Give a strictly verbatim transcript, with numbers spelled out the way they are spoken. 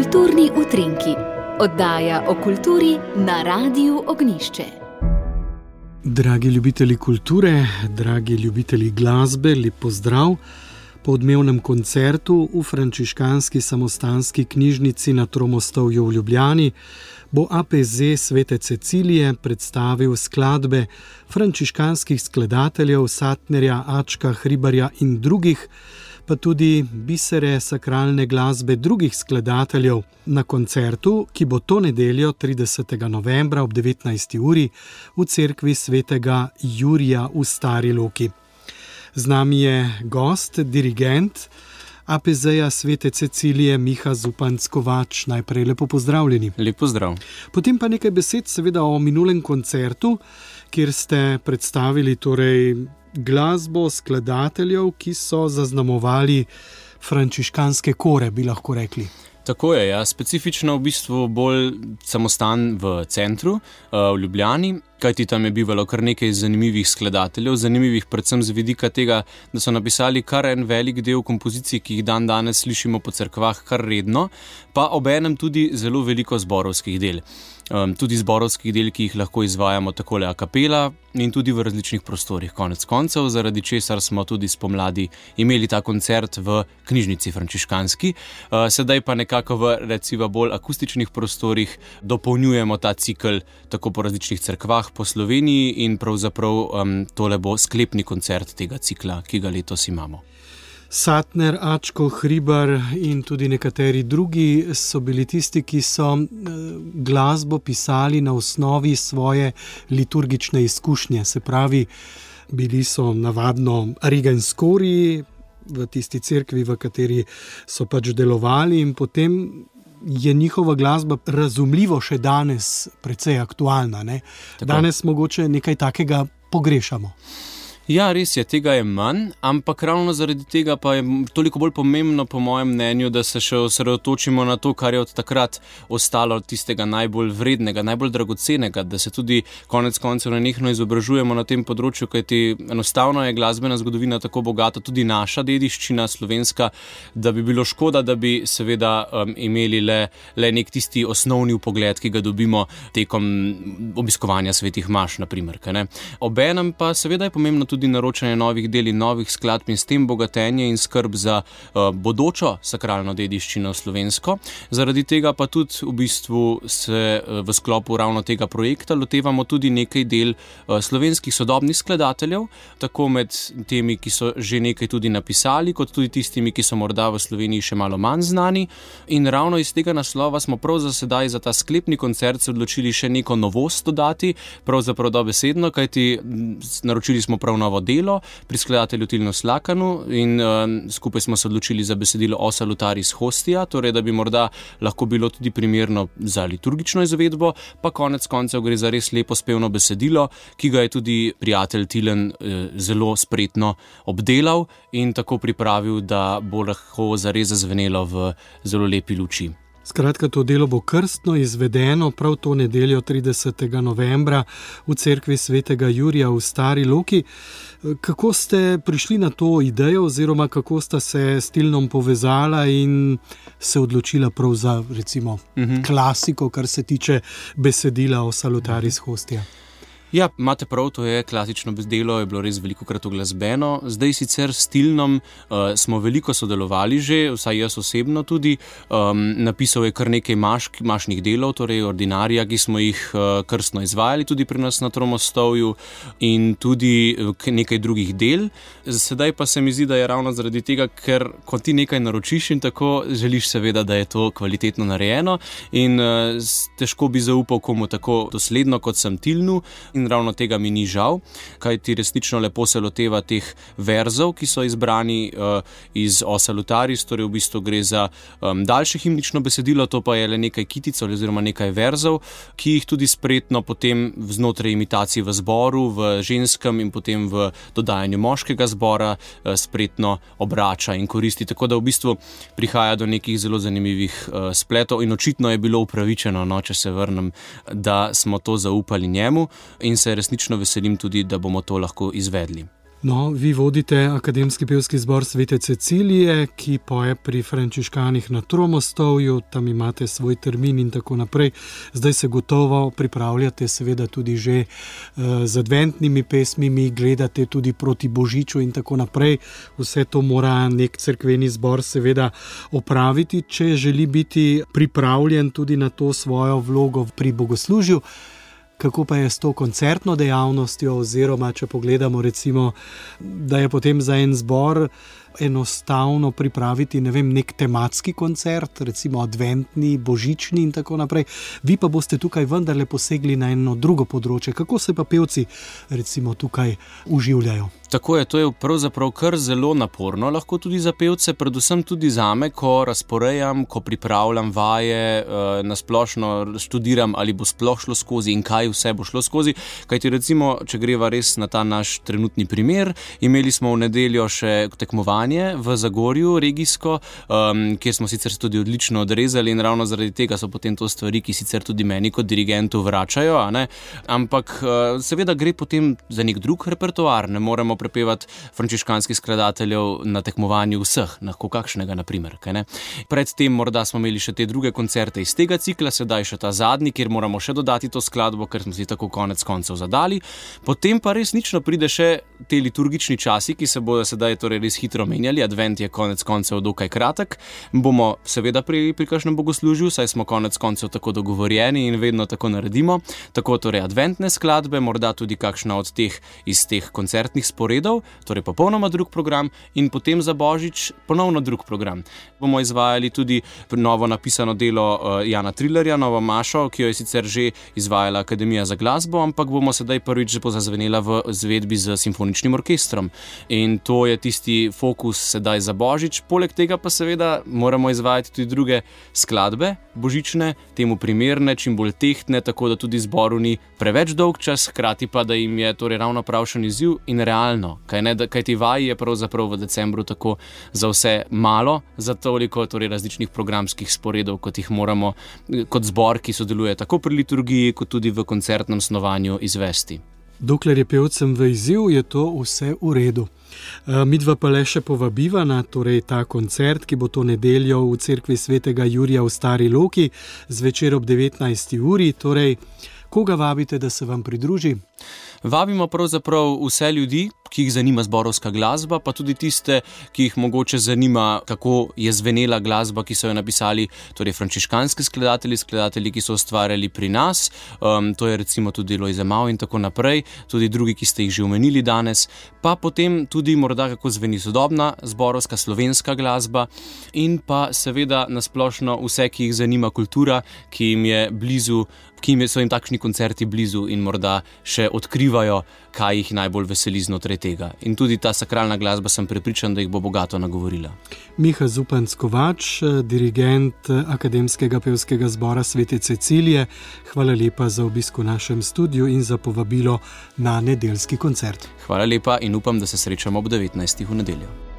Kulturni utrinki, oddaja o kulturi na Radiu Ognjišče. Dragi ljubitelji kulture, dragi ljubitelji glasbe, lep pozdrav. Po odmevnem koncertu v frančiškanski samostanski knjižnici na Tromostovju v Ljubljani bo A P Z Svete Cecilije predstavil skladbe frančiškanskih skladateljev Satnerja, Ačka, Hribarja in drugih, pa tudi bisere sakralne glasbe drugih skladateljev na koncertu, ki bo to nedeljo tridesetega novembra ob devetnajsti uri v cerkvi svetega Jurija v Stari Loki. Z nami je gost, dirigent A P Z-ja Svete Cecilije Miha Zupanc-Kovač. Najprej lepo pozdravljeni. Lep pozdrav. Potem pa nekaj besed seveda o minulem koncertu, kjer ste predstavili torej glasbo skladateljev, ki so zaznamovali frančiškanske kore, bi lahko rekli. Tako je, ja. Specifično v bistvu bolj samostan v centru, v Ljubljani, kajti tam je bivalo kar nekaj zanimivih skladateljev, zanimivih predvsem z vidika tega, da so napisali kar en velik del kompozicij, ki jih dan danes slišimo po cerkvah kar redno, pa obenem tudi zelo veliko zborovskih del. Um, tudi zborovskih del, ki jih lahko izvajamo takole a capella in tudi v različnih prostorih konec koncev, zaradi česar smo tudi spomladi imeli ta koncert v knjižnici frančiškanski. Uh, sedaj pa nekako v recimo bolj akustičnih prostorih dopolnjujemo ta cikel tako po različnih cerkvah po Sloveniji in pravzaprav um, tole bo sklepni koncert tega cikla, ki ga letos imamo. Satner, Ačko, Hribar in tudi nekateri drugi so bili tisti, ki so glasbo pisali na osnovi svoje liturgične izkušnje. Se pravi, bili so navadno rigenskori v tisti cerkvi, v kateri so pač delovali, in potem je njihova glasba razumljivo še danes precej aktualna, ne? Danes mogoče nekaj takega pogrešamo. Ja, res je, tega je manj, ampak ravno zaradi tega pa je toliko bolj pomembno, po mojem mnenju, da se še osredotočimo na to, kar je od takrat ostalo tistega najbolj vrednega, najbolj dragocenega, da se tudi konec koncev nenehno izobražujemo na tem področju, kajti enostavno je glasbena zgodovina tako bogata, tudi naša dediščina slovenska, da bi bilo škoda, da bi seveda um, imeli le, le nek tisti osnovni vpogled, ki ga dobimo tekom obiskovanja svetih maš, na primer. Obenem pa seveda je pomembno tudi naročanje novih del in novih skladb in s tem bogatenje in skrb za uh, bodočo sakralno dediščino slovensko. Zaradi tega pa tudi v bistvu se uh, v sklopu ravno tega projekta lotevamo tudi nekaj del uh, slovenskih sodobnih skladateljev, tako med temi, ki so že nekaj tudi napisali, kot tudi tistimi, ki so morda v Sloveniji še malo manj znani. In ravno iz tega naslova smo prav za sedaj za ta sklepni koncert se odločili še neko novost dodati, pravzaprav dobesedno, kajti naročili smo prav novo delo pri skladatelju Tilnu Slakanu in uh, skupaj smo se odločili za besedilo O salutaris hostia, torej da bi morda lahko bilo tudi primerno za liturgično izvedbo, pa konec koncev gre za res lepo spevno besedilo, ki ga je tudi prijatelj Tilen uh, zelo spretno obdelal in tako pripravil, da bo lahko zares zazvenelo v zelo lepi luči. Skratka, to delo bo krstno izvedeno prav to nedeljo tridesetega novembra v cerkvi svetega Jurija v Stari Loki. Kako ste prišli na to idejo oziroma kako sta se s Tilnom povezala in se odločila prav za recimo uh-huh. klasiko, kar se tiče besedila O salutaris hostia? Ja, imate prav, to je klasično delo, je bilo res velikokrat uglasbeno. Zdaj sicer s Tilnom uh, smo veliko sodelovali že, vsaj jaz osebno tudi. Um, napisal je kar nekaj maš, mašnih delov, torej ordinarija, ki smo jih uh, krstno izvajali tudi pri nas na Tromostovju in tudi nekaj drugih del. Sedaj pa se mi zdi, da je ravno zaradi tega, ker ko ti nekaj naročiš in tako želiš seveda, da je to kvalitetno narejeno in uh, težko bi zaupal komu tako dosledno, kot sem Tilnu. In ravno tega mi ni žal, kajti resnično lepo se loteva teh verzov, ki so izbrani uh, iz O salutaris, torej v bistvu gre za um, daljše himnično besedilo, to pa je le nekaj kitic oziroma nekaj verzov, ki jih tudi spretno potem znotraj imitacij v zboru, v ženskem in potem v dodajanju moškega zbora uh, spretno obrača in koristi, tako da v bistvu prihaja do nekih zelo zanimivih uh, spletov in očitno je bilo upravičeno, no, če se vrnem, da smo to zaupali njemu in se resnično veselim tudi, da bomo to lahko izvedli. No, vi vodite Akademski pevski zbor Svete Cecilije, ki poje pri frančiškanih na Tromostovju, tam imate svoj termin in tako naprej. Zdaj se gotovo pripravljate seveda tudi že uh, z adventnimi pesmimi, gledate tudi proti Božiču in tako naprej. Vse to mora nek cerkveni zbor seveda opraviti, če želi biti pripravljen tudi na to svojo vlogo pri bogoslužju. Kako pa je s to koncertno dejavnostjo, oziroma če pogledamo recimo, da je potem za en zbor enostavno pripraviti, ne vem, nek tematski koncert, recimo adventni, božični in tako naprej. Vi pa boste tukaj vendarle posegli na eno drugo področje. Kako se pa pevci recimo tukaj uživljajo? Tako je, to je pravzaprav kar zelo naporno, lahko tudi za pevce, predvsem tudi zame, ko razporejam, ko pripravljam vaje, na splošno študiram, ali bo sploh šlo skozi in kaj vse bo šlo skozi. Kajti recimo, če greva res na ta naš trenutni primer, imeli smo v nedeljo še tekmovanje v Zagorju, regijsko, um, kjer smo sicer tudi odlično odrezali in ravno zaradi tega so potem to stvari, ki sicer tudi meni kot dirigentu vračajo, a ne? Ampak uh, seveda gre potem za nek drug repertoar, ne moremo prepevati frančiškanskih skladateljev na tekmovanju vseh, lahko kakšnega naprimer, kaj ne? Predtem morda smo imeli še te druge koncerte iz tega cikla, sedaj še ta zadnji, kjer moramo še dodati to skladbo, ker smo si tako konec koncev zadali. Potem pa resnično pride še te liturgični časi, ki se bodo sedaj torej res hitro menjali, advent je konec koncev dokaj kratek, bomo seveda pri, pri kakšnem bogoslužju, saj smo konec koncev tako dogovorjeni in vedno tako naredimo, tako torej adventne skladbe, morda tudi kakšna od teh iz teh koncertnih sporedov, torej popolnoma drug program in potem za Božič ponovno drug program. Bomo izvajali tudi novo napisano delo uh, Jana Trillerja, novo mašo, ki jo je sicer že izvajala Akademija za glasbo, ampak bomo sedaj prvič pozazvenela v izvedbi z simfoničnim orkestrom. In to je tisti fokus sedaj za Božič. Poleg tega pa seveda moramo izvajati tudi druge skladbe božične, temu primerne, čim bolj tehtne, tako da tudi zboru ni preveč dolg čas, hkrati pa da jim je torej ravno pravšen izziv in realno, kaj ne, kaj ti vaji je pravzaprav v decembru tako za vse malo, za toliko torej različnih programskih sporedov, kot jih moramo kot zbor, ki sodeluje tako pri liturgiji, kot tudi v koncertnem snovanju izvesti. Dokler je pevcem v izziv, je to vse v redu. Midva pa le še povabiva na torej ta koncert, ki bo to nedeljo v cerkvi svetega Jurija v Stari Loki, zvečer ob devetnajsti uri, torej koga vabite, da se vam pridruži? Vabimo pravzaprav vse ljudi, ki jih zanima zborovska glasba, pa tudi tiste, ki jih mogoče zanima, kako je zvenela glasba, ki so jo napisali torej frančiškanski skladatelji, skladatelji, ki so ustvarjali pri nas, um, to je recimo tudi Lojze Mau in tako naprej, tudi drugi, ki ste jih že omenili danes, pa potem tudi morda kako zveni sodobna zborovska slovenska glasba in pa seveda nasplošno vse, ki jih zanima kultura, ki jim je blizu, ki jim so jim takšni koncerti blizu in morda še odkrivajo, kaj jih najbolj veseli znotraj tega. In tudi ta sakralna glasba sem prepričan, da jih bo bogato nagovorila. Miha Zupanc-Kovač, dirigent Akademskega pevskega zbora Svete Cecilije, hvala lepa za obisk v našem studiu in za povabilo na nedeljski koncert. Hvala lepa in upam, da se srečamo ob devetnajstih v nedeljo.